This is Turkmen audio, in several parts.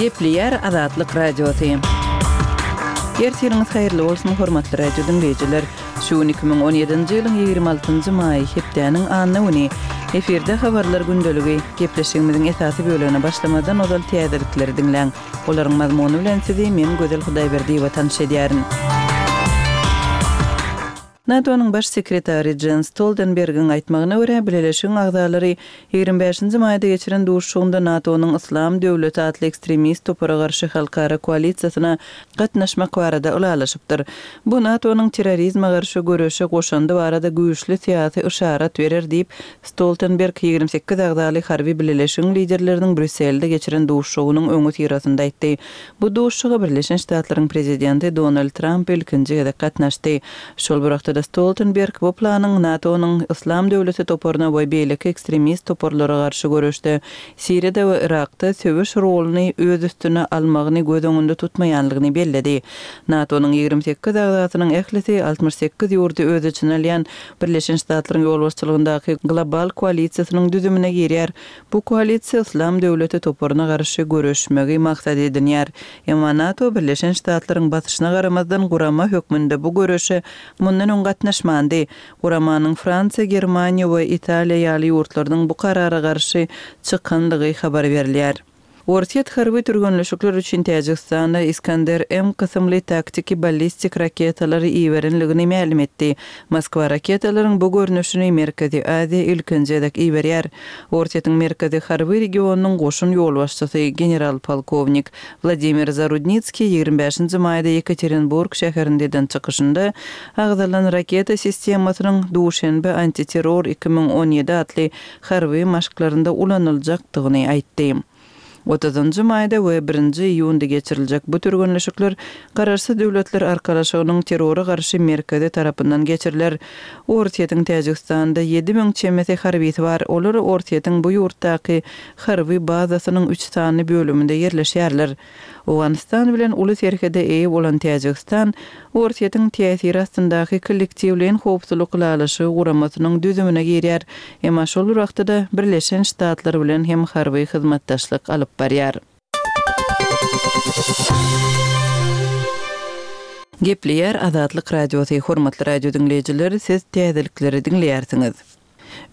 Gepleýär Azatlyk Radiosy. Ertiriňiz haýyrly bolsun, hormatly radio diňleýjiler! Şu gün 2017-nji ýylyň 26-njy maýy, hepdäniň anna güni. Efirde Habarlar gündeligi. Gepleşigimiziň esasy bölegine başlamazdan ozal täzelikleri diňläň. Olaryň mazmuny bilen sizi men Gözel Hudaýberdiýewa tanyş edýärin. NATO-nyň Baş sekretary Jens Stoltenbergiň aýtmagyna görä, bileleşigiň agzalary 25-nji maýda geçiren duşuşygynda NATO-nyň Yslam döwleti atly ekstremist topara garşy halkara koalisiýasyna gatnaşmak barada ylalaşypdyr. Bu NATO-nyň terrorizme garşy göreşe goşandy barada güýçli syýasy yşarat berer diýip, Stoltenberg 28 agzaly harby bileleşigiň liderleriniň Brýusselde geçiren duşuşygynyň öňüsyrasynda aýtdy. Bu duşuşyga Birleşen Ştatlaryň prezidenti Donald Tramp ilkinji gezek gatnaşdy. Şol bir wagtda-da Stoltenberg bu planyň NATO-nyň Yslam döwleti toparyna we beýleki ekstremist toparlara garşy göreşde Siriýada we Yrakda söweş roluny öz üstüne almagyny göz öňünde tutmaýanlygyny belledi. NATO-nyň 28 agzasynyň ählisi 68 ýurdy öz içine alýan Birleşen Ştatlaryň ýolbaşçylygyndaky global koalisiýasynyň düzümine girýär. Bu koalisiýa Yslam döwleti toparyna garşy göreşmegi maksat edinýär. Emma NATO Birleşen Ştatlaryň basyşyna garamazdan gurama hökmünde bu göreşe mundan öň gatnaşmandy. Guramanyň Fransiýa, Germaniýa we Italiýa ýaly ýurtlarynyň bu karara garşy çykandygy habar berilýär. Orsýet harby türgenleşikler üçin Täjigistana Iskander-M kysymly taktiki ballistik raketalary iberenligini mälim etdi. Moskwa raketalaryň bu görnüşini Merkezi Aziýa ilkinji gezek iberýär. Orsýetiň Merkezi harby regionynyň goşun ýolbaşçysy general-polkownik Wladimir Zarudnitskiý 25-nji maýda Ýekaterinburg şäherinde eden çykyşynda agzalan raketa sistemasynyň Duşenbe antiterror 2017 atly harby maşklarynda ulanyljakdygyny aýtdy. Otuzynjy maýda we birinji iýunda geçiriljek bu türgenleşikler Garaşsyz Döwletler Arkalaşygynyň Terrora garşy merkezi tarapyndan geçiriler. Orsýetiň Täjigistanda 7000 çemesi harbysy bar, olar Orsýetiň bu ýurtdaky harby bazasynyň üç sany bölüminde ýerleşýärler. Owganystan bilen uly serhede eýe bolan Täjigistan Orsýetiň täsiri astyndaky Kollektiwleýin howpsuzlyk ylalaşygy guramasynyň düzümine girýär, emma şol bir wagtda-da Birleşen Ştatlar bilen hem harby hyzmatdaşlyk alyp barýar. Gepleýär Azatlyk Radiosy, Hormatly radio diňleýjiler, siz täzelikleri diňleýärsiňiz.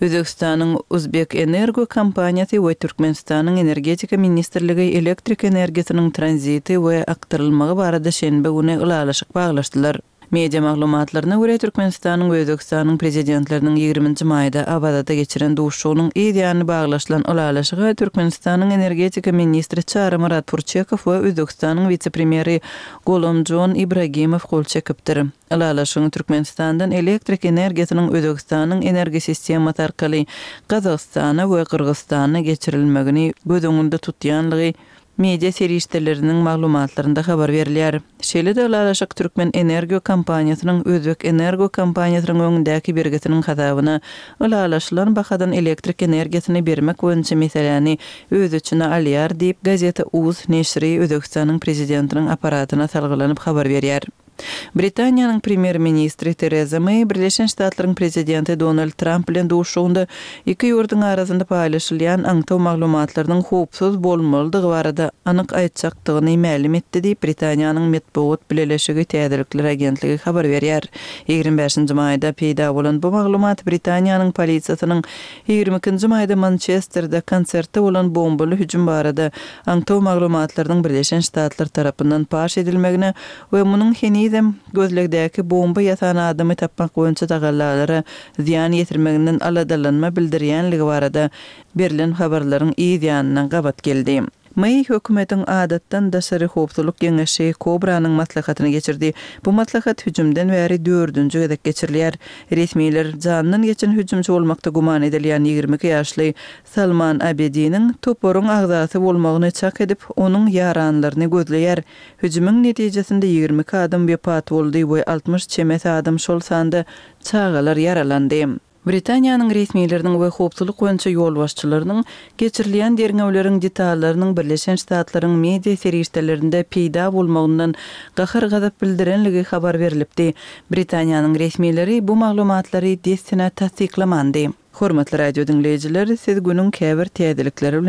Özbegistanyň Uzbekenergo kompaniýasy we Türkmenistanyň Energetika ministrligi elektrik energiýasynyň tranziti we akdyrylmagy barada şenbe güni ylalaşyk baglaşdylar. Media maglumatlaryna görä, Türkmenistanyň we Özbegistanyň Prezidentleriniň ýigriminji maýda Awazada geçiren duşuşygynyň yz ýany baglaşylan ylalaşyga Türkmenistanyň energetika ministri Çarymyrat Purçekow we Özbegistanyň wise-premýeri Golomjon Ibragimow gol çekipdir. Ylalaşygyň Türkmenistandan elektrik energiýasynyň Özbegistanyň energosistemasy arkaly Gazagystana we Gyrgyzystana geçirilmegini göz öňünde tutýanlygy media serişdeleriniň maglumatlarynda habar berilýär. Şeýle-de ylalaşyk Türkmenenergo kompaniýasynyň Özbekenergo kompaniýasynyň öňündäki bergisiniň hasabyna ylalaşylan bahadan elektrik energiýasyny bermek boýunça meseläni öz içine alýar diýip, Gazeta uz neşiri Özbegistanyň Prezidentiniň apparatyna salgylanyp habar berýär. Britaniýanyň Premýer-ministri Tereza Meý Birleşen Ştatlaryň Prezidenti Donald Tramp bilen duşuşygynda iki ýurduň arasynda paýlaşylýan aňtaw maglumatlarynyň howpsuz bolmalydygy barada anyk aýtjakdygyny mälim etdi diýip, Britaniýanyň metbugat bileleşigi täzelikler agentligi habar berýär. 25-nji maýda peýda bolan bu maglumat Britaniýanyň polisiýasynyň 22-nji maýda Mançesterde konsertde bolan bombaly hüjüm barada aňtaw maglumatlarynyň Birleşen Ştatlar tarapyndan paş edilmegine we munuň henizem gözlegdäki bomba ýasan adamy tapmak boýunça tagallalara zyýan ýetirmeginden aladalanma bildirýänligi barada berlen habarlaryň yz ýanyna gabat geldi. Meý hökümetiň adatdan daşary howpsuzlyk geňeşi Kobranyň maslahatyny geçirdi. Bu maslahat hüjümden bäri dördünji gezek geçirilýär. Resmiler janyndan geçen hüjümçi bolmakda güman edilýän 22 ýaşly Salman Abediniň toparyň agzasy bolmagyny çak edip, onuň ýaranlaryny gözleýär. Hüjümiň netijesinde 22 adam wepat boldy we 60 çemesi adam, şol sanda çagalar ýaralandy. Britaniýanyň resmileriniň we howpsuzlyk boýunça ýolbaşçylarynyň geçirilýän derňewleriň detallarynyň Birleşen Ştatlaryň media serişdelerinde peýda bolmagyndan gahar-gazap bildirenligi habar berlipdi. Britaniýanyň resmileri bu maglumatlary dessine tassyklamandy. Hormatly radio diňleýjiler, siz günüň käbir täzelikleri bilen.